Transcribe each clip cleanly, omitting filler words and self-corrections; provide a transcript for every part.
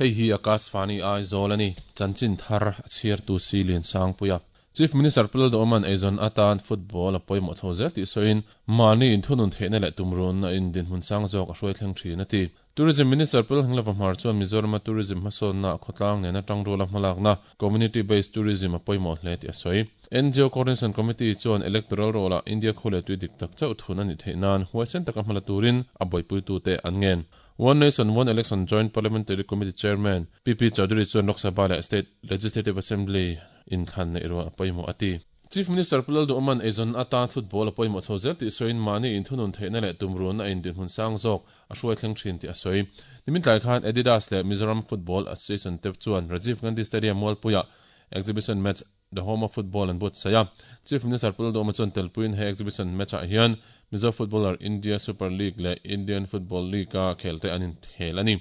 Hei hi Akashvani Aizawl a ni. Chanchin thar a chhiartu si Liansangpuia. Chief Minister Pu Lalduhawma'n eizawn atan football a pawimawh chho zel tih sawiin, mahni inthunun theihna leh tumruhna in dinhmun sang zawk a hruai thleng thin a ti. Tourism Minister Pu Lalhnglava Hmar chuan Mizorama tourism hmasawnnaah khawtlang nena tangruala hmalakna, community based tourism, a pawimawh hle tih a sawi. NGO Coordination Committee chuan electoral roll-ah India khu leh tui dik tak chauh thun a nih theih nan huaisen taka hmala turin a buaipuitute an ngen. One Nation One Election Joint Parliamentary Committee Chairman PP Chaudhary chuan Lok Sabha leh State Legislative Assembly inthlan neih rual a pawimawh a ti. Chief Minister Pu Lalduhawma'n eizawn atan football a pawimawh chho zel tih sawiin mahni inthunun theihna leh tumruhna a indinhmun sang zawk a hruai thleng thin tih a sawi. Nimin tlai khan Adidas leh Mizoram Football Association te chuan Rajiv Gandhi Stadium Mualpuiah Exhibition Match The Home of Football an buatsaih a. Chief Minister Pu Lalduhawma chuan telpuiin he exhibition match-ah hian Mizo footballer India Super League leh Indian Football League-a khelte an inkhel a ni.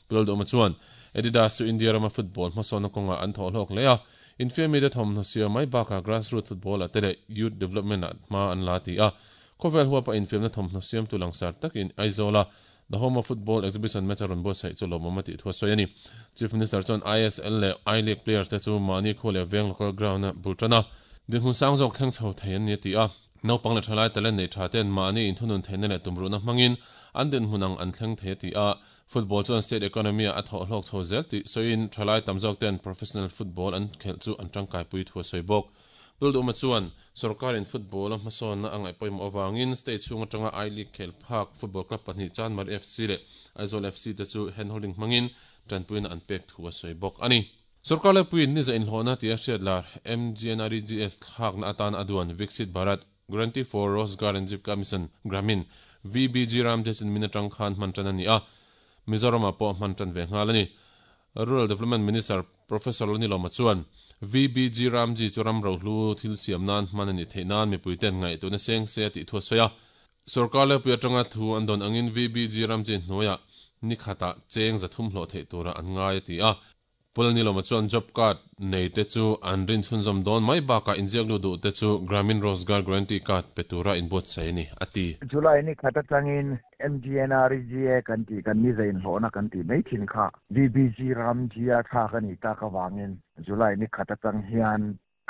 Pu Lalduhawma chuan Adidas chu India rama football hmasawnna kawngah an thawh hlawk hle a, infiamite thawmhnaw siam mai bakah grassroots football-ah te leh youth development-ah hma an la ti a. Khawvel huapa infiamna thawmhnaw siamtu langsar takin Aizawl-a The Home of Football Exhibition match a rawn buatsaih chu lawmawm a tih thu a sawi a ni. Chief Minister chuan ISL leh I-League players te chu mahni khua leh veng local ground a bul tan a, dinhmun sang zawk thleng chho thei an ni a ti a. Naupang leh thalai talent nei tha ten mahni inthunun theihna leh tumruhna hmangin an dinhmun ang an thleng thei a ti a. Football chuan state economy ah a thawh hlawk chho zel tih sawiin thalai tam zawk ten professional football an khelh chu an tangkaipui thu a sawi bawk. Pulduma chuan sorkarin football-a hmasawnna a ngaih pawimawh avangin state chhung atanga I-League khel phak football club pahnih Chanmari FC leh Aizawl FC te chu handholding hmangin tanpuina an pek thu a sawi bawk a ni. Sorkar laipuiin niza inhlawhna tia hriat lar MGNREGS thlakna atana a duan Viksit Bharat Guarantee for Rozgar and Jeevika Mission, Gramin, VBG Ramdesh in min atang khan hman tan a ni a, Mizoramah pawh hman tan ve nghal a ni. Rural Development Minister Professor Lanilawma chuan, VBG Ramji chu ram rohlu thil siam nan hman a nih theih nan mipui ten ngaihtuahna seng se a tih thu a sawi a. Sorkar lepui atanga thu an dawn angin VBG Ramji hnuaiah ni khatah cheng 300 hlawh theih turah an ngai a ti a. Pu Lanilawma chuan job card nei te chu an rin chhunzawm dawn mai bakah inziak lut duh te chu Gramin Rozgar Guarantee Card pe tura inbuatsaih a ni, a ti. July ni khat atangin MGNREGA kan tih kan ni zainhlawhna kan tih mai thin kha VBG Ramji-a thlak a nih tak avangin July ni khat atang hian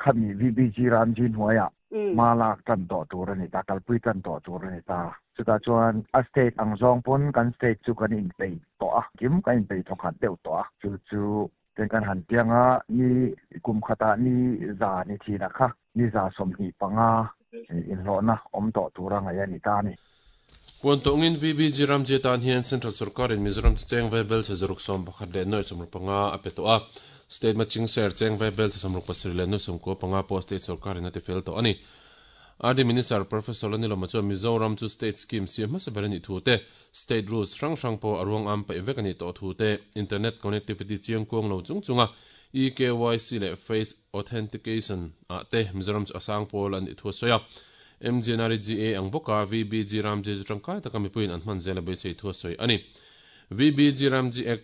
khami VBG Ramji hnuaiah hma lak tan tawh tur a ni ta, kalpui tan tawh tur a ni ta. Chutah chuan a state ang zawng pawn kan state chu kan inpeih tawh a, kim kan inpeih thawkhat deuh tawh a, chu chu ten kan han piang a, ni kum khatah ni za ni thinah kha ni 25 inhlawhna awm tawh tura ngaih a ni ta a ni. Puan tawngin VBG Ramji atan hian Central Sorkarin Mizoram chu cheng vaibel chhe 111 leh nuai 65 a pe tawh a. State matching share cheng vaibel chhe 67 leh nuai 95 pawh State Sorkarin a ti fel tawh a ni. RD Minister Professor Lanilawma chuan Mizoram chu State scheme siam hmasa ber a nih thu te, State rules hrang hrang pawh a ruang am paih vek a nih tawh thu te, Internet connectivity chiang kuang lo chung chunga eKYC leh Face Authentication ah te Mizoram chu a sang pawl a nih thu a sawi a. MGNREGA ang bawka VBG Ramji chu tangkai taka mipuiin an hman zel a beisei thu a sawi a ni. VBG Ramji Act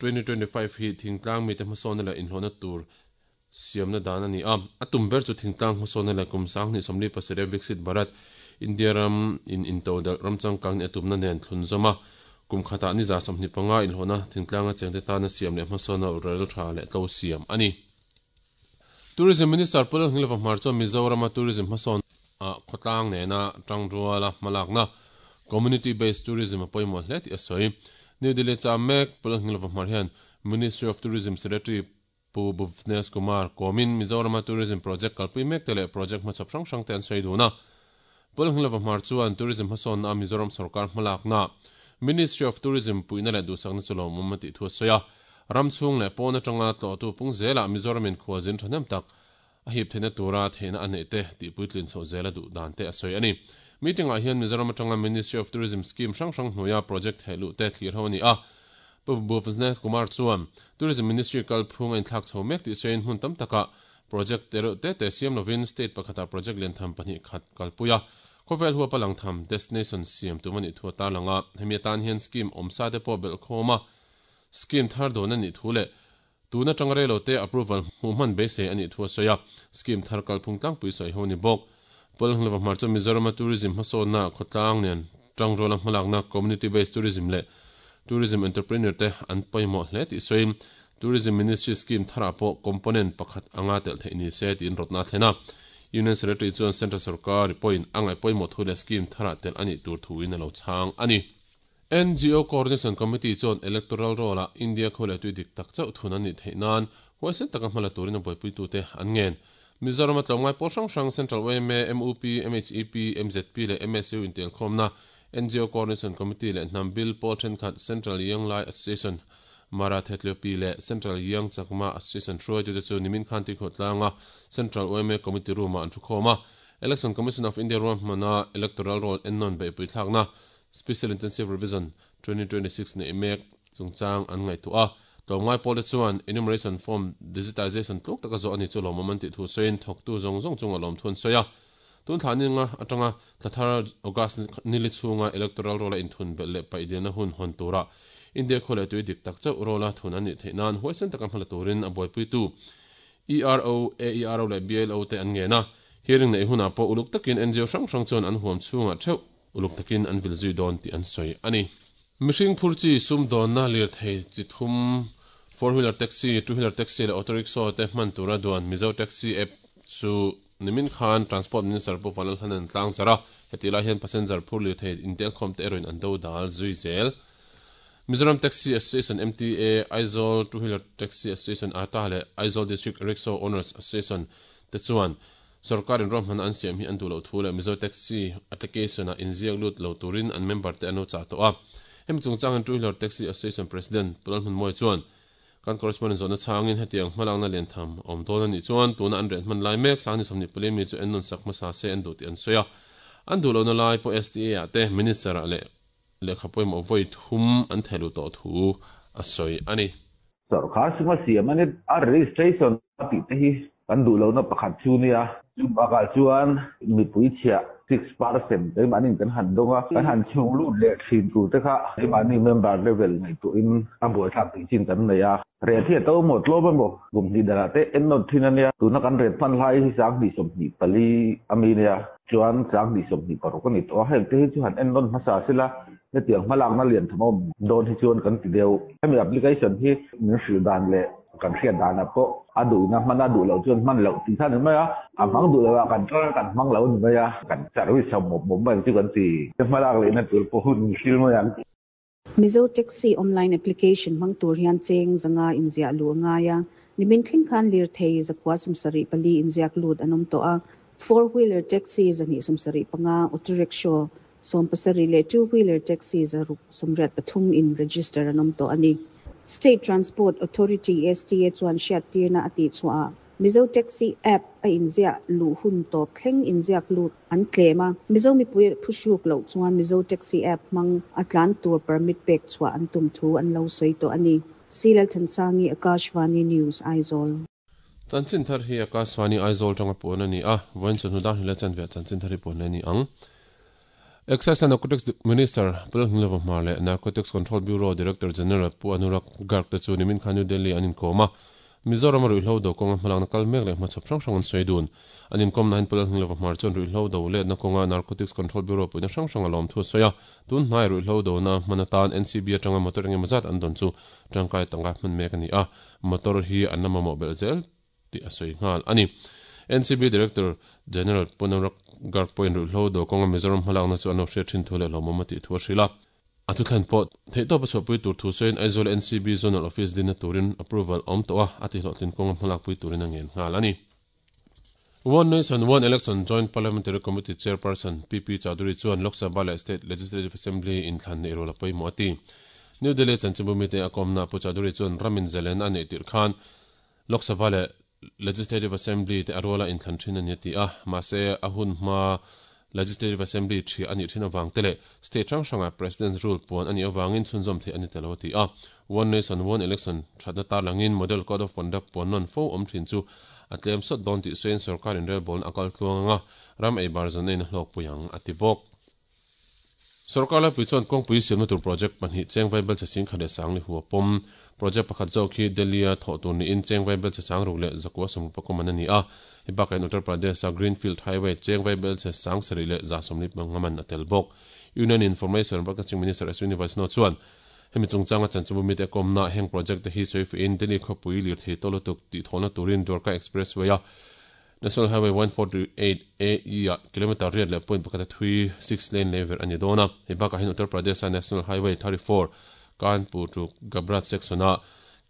2025 hi thingtlang mite hmasawnna leh inhlawhna tur siamna dan a ni a. A tum ber chu thingtlang hmasawnna leh kum 2027 Viksit Bharat, India ram in intodelh ram changkang nih a tumna nen thlunzawm a. Kum khatah ni 25 inhlawhna thingtlanga chengte tana siam leh hmasawnna rel tha leh tlo siam a ni. Tourism Minister Pu Lalhnilova Hmar chuan Mizorama tourism hmasawn ah khawtlang nena tangruala hmalakna Community Based Tourism a pawimawh hle tih a sawi. New Delhi cham mek Pu Lalhnilova Hmar hian Ministry of Tourism Secretary Pu Bhuvnesh Kumar kawmin Mizorama tourism project kalpui mek te leh project hmachhawp hrang hrang te an sawi dun a. Pu Lalhnilova Hmar chuan tourism hmasawnna a Mizoram sorkar hmalakna Ministry of Tourism puihna leh duhsakna chu lawmawm a tih thu a sawi a. Ram chhung leh pawn atanga tlawhtu pung zelah Mizoramin khualzin thahnem tak a hip theihna tura theihna a neih te tih puitlin chhoh zela duh dan te a sawi a ni. Meeting-ah hian Mizoram atanga Ministry of Tourism scheme hrang hrang hnuaia project theh luh te thlir ho a ni a. Pu Bhuvnesh Kumar chuan Tourism Ministry kalphung a inthlak chho mek tih sawiin hmun tam takah project te reuh te te siam lovin state pakhatah project lian tham pahnih khat kalpui a, khawvel huapa lang tham destination siam tum a nih thu a tarlang a. Hemi atan hian scheme awmsa te pawh belhkhawm a, Scheme thar dawn a nih thu leh tun atanga rei lo te approval hmuh hman beisei a nih thu a sawi a, scheme thar kalphung tlangpui sawi ho a ni bawk. Pawlhnglova hmar chuan Mizorama tourism hmasawnna khawtlang nen tangruala hmalakna community based tourism leh Tourism entrepreneur te an pawimawh hle tih sawiin Tourism Ministry scheme tharah pawh component pakhat anga telh theih ni se tiin rawtna a thlen a. Union Secretary chuan Central sorkar pawhin a ngaih pawimawh thu leh scheme tharah telh a nih tur thuin a lo chhang a ni. NGO Coordination Committee chuan Electoral Roll-ah India khua leh tui dik tak chauh thun an nih theih nan huaisen taka hmala turin a buaipuitute an ngen. Mizorama tlawmngai pawl hrang hrang Central yma, mup, MHEP, mzp leh MSU intelkhawmna NGO Coordination Committee leh hnam bil pawl thenkhat Central Young Lai Association, Mara Thetleopi leh Central Young Chakma Association hruaitute chu nimin khan Tuikhawhtlanga Central yma Committee Room-ah an thukhawm a. Election Commission of India ruahmana Electoral Roll ennawn beihpui thlakna Special Intensive Revision 2026 neih mek chungchang an ngaihtuah a. Tlawmngai pawlte chuan Enumeration Form Digitization tluk taka zawh a ni chu lawmawm an tih thu sawiin thawktu zawng zawng chunga lawmthu an sawi a. Tun thla ninga atanga thla thar August nili chhunga Electoral Roll-a inthun belh leh paih dilna hun hawn tura India khua leh tui dik tak chauh roll-a thun an nih theih nan huaisen taka hmala turin a buaipuitu ERO, AERO leh BLO te an ngen a. Hearing neih hunah pawh uluk takin NGO hrang hrang chuan an huam chhungah theuh uluk takin an vil zui dawn tih an sawi a ni. Mihring phur chi sumdawnna lirthei chi thum, four wheeler taxi, two wheeler taxi leh auto rickshaw te hman tura duan Mizo Taxi app chu Nimin khan Transport Minister Pu Vanlalhlanan tlang zar a, hetih lai hian passenger phur lirthei intelkhawm te erawhin an do dal zui zel. Mizoram Taxi Association, MTA, Aizawl Two Wheeler Taxi Association, ata, leh Aizawl District Rickshaw Owners Association te chuan sorkarin ruahmanna an siam hi an duh loh thu leh Mizo Taxi application-ah inziak lut lo turin an member te an lo chah tawh a. Hemi chungchangin Two Wheeler Taxi Association President Pu Lalhmunmawia chuan Kan correspondent zawhna chhangin hetiang hmalakna liantham a awm dawn a nih chuan tuna an riah hman lai mek Sangni 24 mi chu ennawn sak hmasa se an duh tih an sawi a. An duh lohna lai pawh STA ah te Minister ah leh lehkha pawimawh vawi thum an theh luh tawh thu a sawi a ni. Sorkar suma siam a ni a registration a tih te hi kan duh lohna pakhat chu nia. Chu bakah chuan mipui chhiah 6% keimahniin kan han dawng a, kan han chhung lut leh thin tur te kha keimahni member level ngaihtuahin a buaithlak tih chin kan nei a. Ret hi a to emaw tlawm emaw kum hnih danah te en nawt thin a nia. Tuna kan ret hman lai hi 2024 a mi nia, chuan 2026 a ni tawh a, heng te hi chu han en nawn hmasa sela hetiang hmalakna lian tham a awm dawn hi chuan kan ti deuh. Hemi application hi min hrilh dan leh Kan hriat danah pawh a duhna hman a duh loh chuan hman loh tih kha a ni mai a, a hmang duh loh ah kan tar a kan hmang lo a ni mai a, kan service ho mawp mawp mai ang chu kan ti. Hmalak lehna tur pawh hun min hril mai ang. Mizo Taxi online application hmang tur hian cheng zanga inziah luh a ngai a, nimin thleng khan lirthei zakua 74 inziak lut an awm tawh a, four wheeler taxi 275, auto rickshaw 17 leh two wheeler taxi 683 in register an awm tawh a ni. State Transport Authority, STA, chuan hriattirna a tihchhuah ah Mizo Taxi app a inziah luh hun tawp thleng inziak lut an tlem a, Mizo mipui phuhruk loh chuan Mizo Taxi app hmang a tlan tur permit pek chhuah an tum thu an lo sawi tawh a ni. C Lalthansangi, Akashvani News, Aizawl. Chanchin thar hi Akashvani Aizawl tanga puan a ni a, vawiin chawhnu dar hlila chanve ah chanchin thar hi puan leh a ni ang. Excise and Narcotics Minister Pu Lalhmilova Hmar leh Narcotics Control Bureau Director General Pu Anurag Garg te chu nimin khan New Delhi an inkawm a, Mizoram a ruihhlo do kawnga hmalakna kal mek leh hmachhawp hrang hrang an sawi dun. An inkawmna hian Pu Lalhmilova Hmar chuan ruihhlo do letna kawnga Narcotics Control Bureau puihna hrang hrang a lawm thu a sawi a, tun hnai ruihhlo dona hman atan NCB atanga motor engemaw zat an dawn chu tangkai tangka hman mek a ni a. Motor hi an la mamawh belh zel tih a sawi nghal a ni. NCB Director General Punarag Garg pawhin ruihhlo do kawnga Mizoram hmalakna chu an lo hriat thin thu leh hlawmawm a tih thu a hrilh a. A thuthlen pawh theihtawp a chhuahpui tur thu sawiin Aizawl NCB Zonal Office dinna turin approval a awm tawh a, a tihhlawhtlin kawnga hmalakpui turin a ngen nghal a ni. One Nation One Election Joint Parliamentary Committee Chairperson PP Chaudhary chuan Lok Sabha leh State Legislative Assembly inthlan neih rual a pawimawh a ti. New Delhi chanchinbu mite a kawmna Pu Chaudhary chuan ramin zalen a neih tirh khan Lok Sabha leh Legislative Assembly te a ruala inthlan thin a ni a ti a, mahse a hun hma Legislative Assembly thiah a nih thin avang te leh state hrang hrangah President's Rule puan a nih avangin chhunzawm theih a ni ta lo a ti a. One Nation One Election thatna tarlangin Model Code of Conduct puan nawn fo awm thin chu a tlem sawt dawn tih sawiin sorkar inrelbawlna a kal tluang anga ram ei bar zawn a hlawkpui ang a ti bawk. Sorkar laipui chuan kawngpui siamna tur project pahnih cheng vaibel chhe sing khat leh sang li hua pawm. Project pakhat zawk hi Delhi-a thawh tur niin cheng vaibel chhe sang ruk leh zakua sawmruk pakawm an a ni a. Hei bakah hian Uttar Pradesh-a Greenfield Highway cheng vaibel chhe 7,150 man a tel bawk. Union Information and Broadcasting Minister Ashwini Vaishnaw chuan. Hemi chungchanga chanchinbu mite kawmna heng project te hi sawifiahin Delhi khawpui lirthei tawh lutuk tih thawhna turin Dwarka Expressway-a National Highway 148 AE ah kilometre riat leh point pakhat a thui six lane lei verh a ni dawn a. Hei bakah hian Uttar Pradesh-a National Highway 34 Kanpur to Gabrat section-ah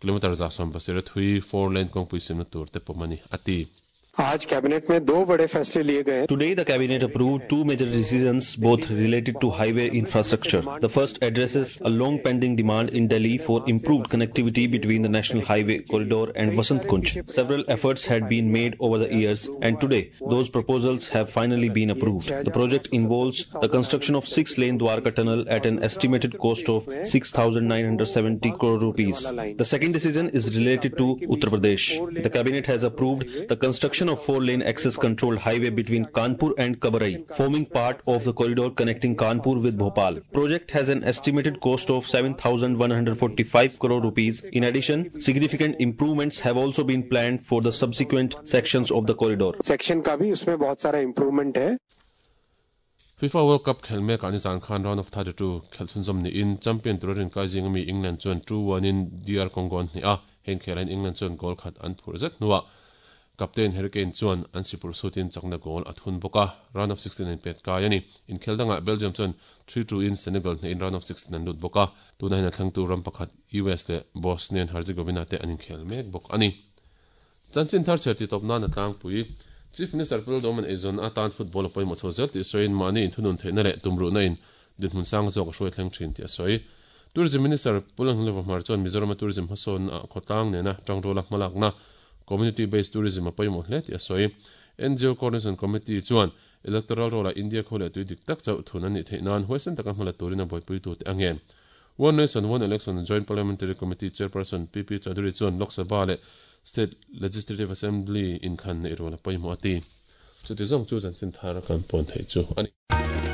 kilometre 170 a thui four lane kawngpui siamna tur te pawm a ni, a ti. Aaj cabinet mein do bade faisle liye gaye. Today the cabinet approved two major decisions both related to highway infrastructure. The first addresses a long pending demand in Delhi for improved connectivity between the National Highway corridor and Vasant Kunj. Several efforts had been made over the years and today those proposals have finally been approved. The project involves the construction of six-lane Dwarka tunnel at an estimated cost of 6,970 crore rupees. The second decision is related to Uttar Pradesh. The cabinet has approved the construction of four-lane access-controlled highway between Kanpur and Kabrai, forming part of the corridor connecting Kanpur with Bhopal. Project has an estimated cost of 7,145 crore rupees. In addition, significant improvements have also been planned for the subsequent sections of the corridor. Section ka bhi usme bahut sara improvement hai. FIFA World Cup khelh mekah nizan khan round of 32 khelh chhunzawm niin champion tura rinkai zing ami England chuan 2-1 in DR Congo an hnih a, heng khelh ahin England chuan goal khat an phurh zet hnuah Captain Harry Kane chuan an sipur sutin chakna goal a thun bawk a, round of 16 an pet kai a ni. Inkhel dangah Belgium chuan 3-2 in Senegal hnehin round of 16 an lut bawk a, tunah hian a thlangtu ram pakhat US leh Bosnia and Herzegovina te an inkhel mek bawk a ni. Chanchin thar chher tih tawp nan a tlangpui. Chief Minister Pu Lalduhawma'n eizawn atan football a pawimawh chho zel tih sawiin mahni inthunun theihna leh tumruhna in dinhmun sang zawk a hruai thleng thin tih a sawi. Tourism Minister Pu Lalhnuleva Hmar chuan Mizorama tourism hmasawnna ah khawtlang nena tangruala hmalakna Community Based Tourism a pawimawh hle tih a sawi. NGO Coordination Committee chuan Electoral Roll ah India khua leh tui dik tak chauh thun an nih theih nan huaisen taka hmala turin a buaipuitute a ngen. One Nation One Election Joint Parliamentary Committee Chairperson PP Chaudhary chuan Lok Sabha leh State Legislative Assembly inthlan neih rual a pawimawh a ti. Chuti zawng chu chanchin thar kan pawn theih chu a ni.